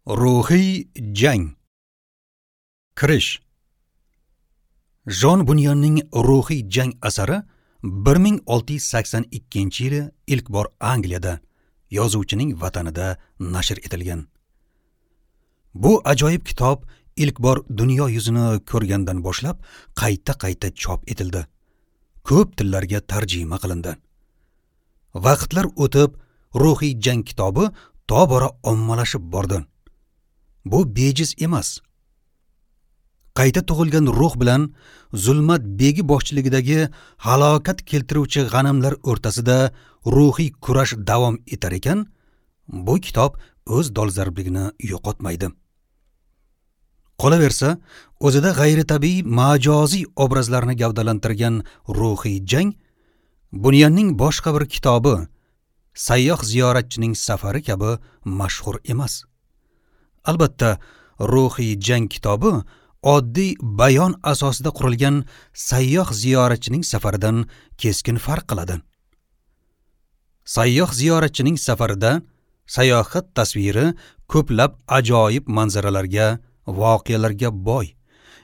Ruhiy jang. Kirish. Jon Bunyanning Ruhiy jang asari 1682-yili ilk bor Angliyada, yozuvchining vatanida nashr etilgan. Bu ajoyib kitob ilk bor dunyo yuzini ko'rgandan boshlab qayta-qayta chop etildi. Ko'p tillarga tarjima qilindi. Vaqtlar o'tib, Ruhiy jang kitobi tobora ommalashib bordi. Bu bejiz emas. Qayta tug'ilgan ruh bilan zulmat begi boshchiligidagi halokat keltiruvchi g'animlar o'rtasida ruhiy kurash davom etar ekan, bu kitob o'z dolzarbligini yo'qotmaydi. Qolaversa, o'zida g'ayritabiiy majoziy obrazlarni gavdalantirgan ruhiy jang Bunyanning boshqa bir kitobi Sayyoh ziyoratchining safari kabi mashhur emas. Albatta, Ruhiy jang kitobi oddiy bayon asosida qurilgan sayyoh ziyoratchining safaridan keskin farq qiladi. Sayyoh ziyoratchining safarida sayohat tasviri ko'plab ajoyib manzaralarga, voqealarga boy.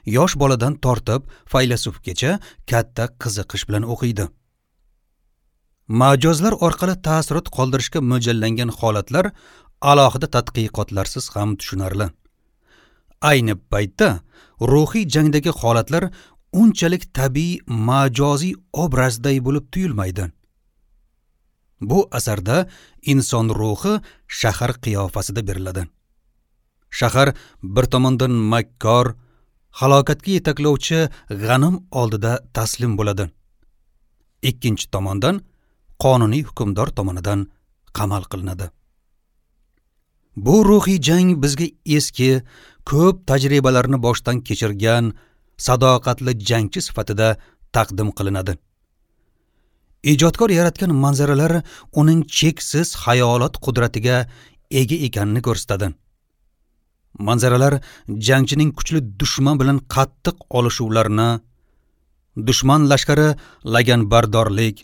Yosh boladan tortib faylasufgacha katta qiziqish bilan o'qiydi. Majozlar orqali ta'sirot qoldirishga mo'ljallangan holatlar alohida tadqiqotlarsiz ham tushunarli. Ayni paytda ruhiy jangdagi holatlar unchalik tabiiy majoziy obrazday bo'lib tuyulmaydi. Bu asarda inson ruhi shahar qiyofasida beriladi. Shahar bir tomondan makkor, halokatga yetaklovchi g'anim oldida taslim bo'ladi. Ikkinchi tomondan qonuniy hukmdor tomonidan qamal qilinadi. Bu ruhiy jang bizga eski, ko'p tajribalarni boshdan kechirgan sadoqatli jangchi sifatida taqdim qilinadi. Ijodkor yaratgan manzaralar uning cheksiz xayolot qudratiga ega ekanini ko'rsatadi. Manzaralar jangchining kuchli dushman bilan qattiq olishuvlarini, dushman lashkari laganbardorlik,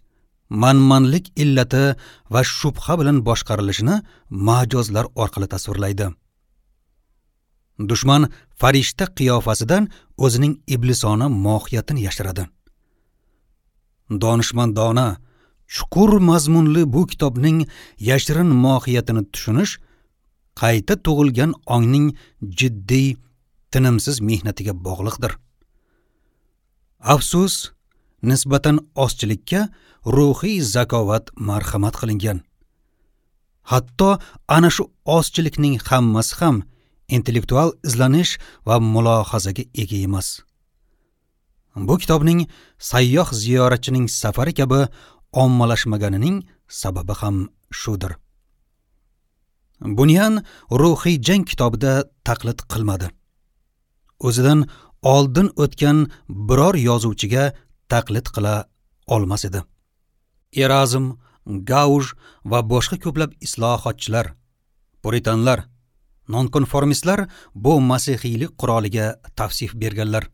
manmanlik illati va shubha bilan boshqarilishini majozlar orqali tasvirlaydi. Dushman farishta qiyofasidan o'zining iblisona mohiyatini yashiradi. Donishmandona, chuqur mazmunli bu kitobning yashirin mohiyatini tushunish qayta tug'ilgan ongning jiddiy, tinimsiz mehnatiga bog'liqdir. Afsus, nisbatan ozchilikka ruhiy zakovat marhamat qilingan. Hatto ana shu ozchilikning hammasi ham intellektual izlanish va mulohazaga ega emas. Bu kitobning sayyoh ziyoratchining safari kabi ommalashmaganining sababi ham shudir. Bunyan Ruhiy jang kitobida taqlid qilmadi. O'zidan oldin o'tgan biror yozuvchiga taqlid qila olmas edi. Erazm, Gauj va boshqa ko'plab islohotchilar, puritanlar, nonkonformistlar bu masihiylik quroliga tavsif berganlar.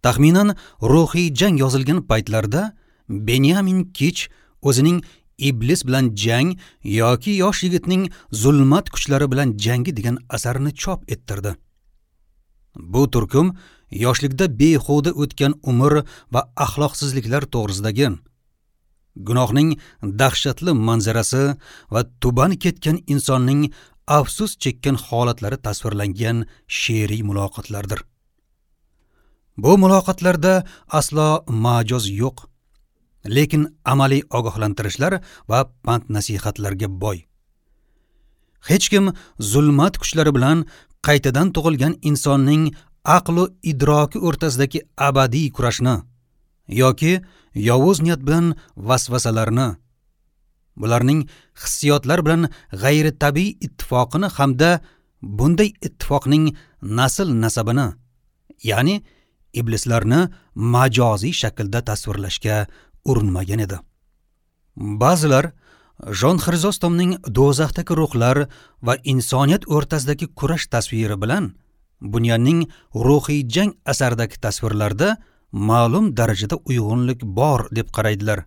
Taxminan Ruhiy jang yozilgan paytlarda Benyamin Kich o'zining Iblis bilan jang yoki yosh yigitning zulmat kuchlari bilan jangi degan asarini chop ettirdi. Bu turkum yoshlikda behuda o'tgan umr va axloqsizliklar to'g'risidagi, gunohning dahshatli manzarasi va tuban ketgan insonning afsus chekkan holatlari tasvirlangan she'riy muloqotlardir. Bu muloqotlarda aslo majoz yo'q, lekin amaliy ogohlantirishlar va pand-nasihatlarga boy. Hech kim zulmat kuchlari bilan qaytadan tug'ilgan insonning aqlu idroki o'rtasidagi abadiy kurashni yoki yovuz niyat bilan vasvasalarni, bularning hissiyotlar bilan g'ayritabiiy ittifoqini hamda bunday ittifoqning nasl nasabini, ya'ni iblislarni majoziy shaklda tasvirlashga urinmagan edi. Ba'zilar Jon Xrizostomning do'zaxdagi ruhlar va insoniyat o'rtasidagi kurash tasviri bilan Bunyanning Ruhiy jang asaridagi tasvirlarda ma'lum darajada uyg'unlik bor deb qaraydilar.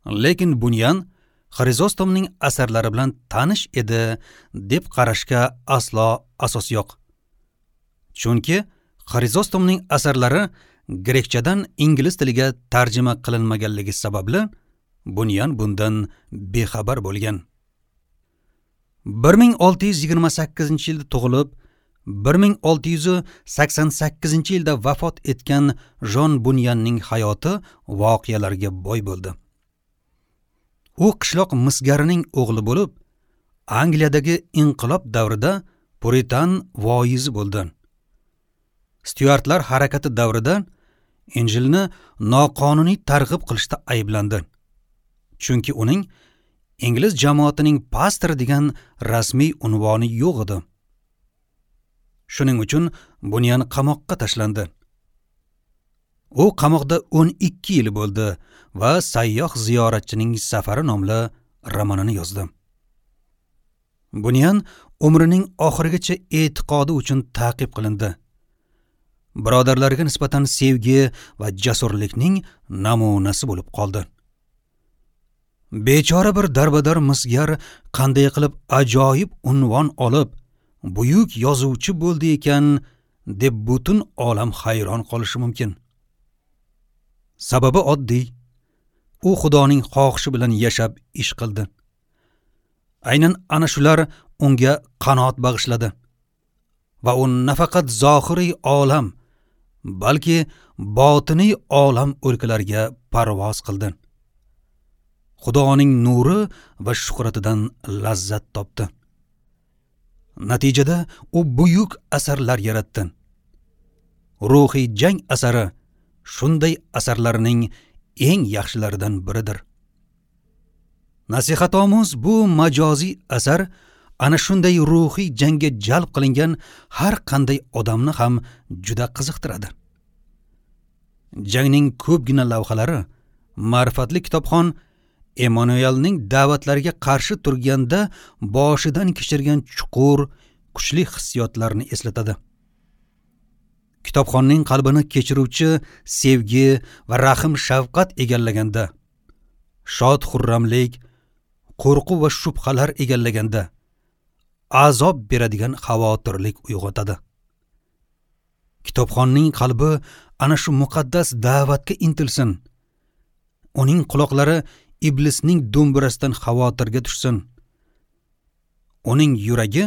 Lekin Bunyan Xrizostomning asarlari bilan tanish edi deb qarashga aslo asos yo'q. Chunki Xrizostomning asarlari grekchadan ingliz tiliga tarjima qilinmaganligi sababli Bunyan bundan bexabar bo'lgan. 1628-yilda tug'ilib, 1688-yilda vafot etgan Jon Bunyanning hayoti voqealarga boy bo'ldi. U qishloq misgarining o'g'li bo'lib, Angliyadagi inqilob davrida puritan voizi bo'ldi. Styuartlar harakati davrida Injilni noqonuniy targ'ib qilishda ayblandi. Chunki uning ingliz jamoatining pastori degan rasmiy unvoni yo'q edi. Shuning uchun Bunyan qamoqqa tashlandi. U qamoqda 12 yil bo'ldi va Sayyoh ziyoratchining safari nomli romanini yozdi. Bunyan umrining oxirigacha e'tiqodi uchun ta'qib qilindi. Birodarlariga nisbatan sevgi va jasurlikning namunasi bo'lib qoldi. Bechora bir darbadar misgar qanday qilib ajoyib unvon olib, buyuk yozuvchi bo'ldi ekan deb butun olam hayron qolishi mumkin. Sababi oddiy. U Xudoning xohishi bilan yashab ish qildi. Aynan ana shular unga qanoat bag'ishladi. Va u nafaqat zohiriy olam, balki botiniy olam o'lkalariga parvoz qildi. Xudoning nuri va shuhratidan lazzat topdi. Natijada u buyuk asarlar yaratdi. Ruhiy jang asari shunday asarlarning eng yaxshilaridan biridir. Nasihatomuz bu majoziy asar ana shunday ruhiy jangga jalb qilingan har qanday odamni ham juda qiziqtiradi. Jangning ko'pgina lavhalari ma'rifatli kitobxon Emmanuelning da'vatlariga qarshi turganda boshidan kechirgan chuqur, kuchli hissiyotlarni eslatadi. Kitobxonning qalbini kechiruvchi sevgi va rahm-shafqat egallaganda, shod xurramlik, qo'rquv va shubhalar egallaganda azob beradigan xavotirlik uyg'otadi. Kitobxonning qalbi ana shu muqaddas da'vatga intilsin. Uning quloqlari iblisning do'mbirasidan xavotirga tushsin. Uning yuragi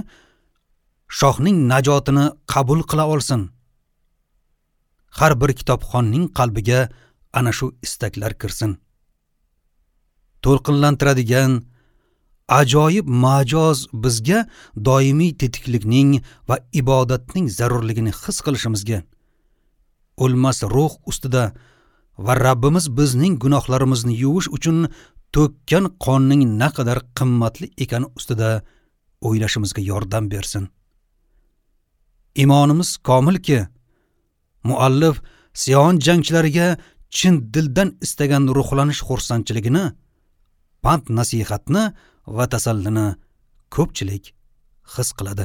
shohning najotini qabul qila olsin. Har bir kitobxonning qalbiga ana shu istaklar kirsin. To'lqinlantiradigan ajoyib majoz bizga doimiy tetiklikning va ibodatning zarurligini his qilishimizga, o'lmas ruh ustida va Rabbimiz bizning gunohlarimizni yuvish uchun to'kkan qonning naqadar qimmatli ekani ustida o'ylashimizga yordam bersin. Imonimiz komilki, muallif Sion jangchilariga chin dildan istagan ruhlanish xursandchiligini, pand nasihatni va tasallini ko'pchilik his qiladi.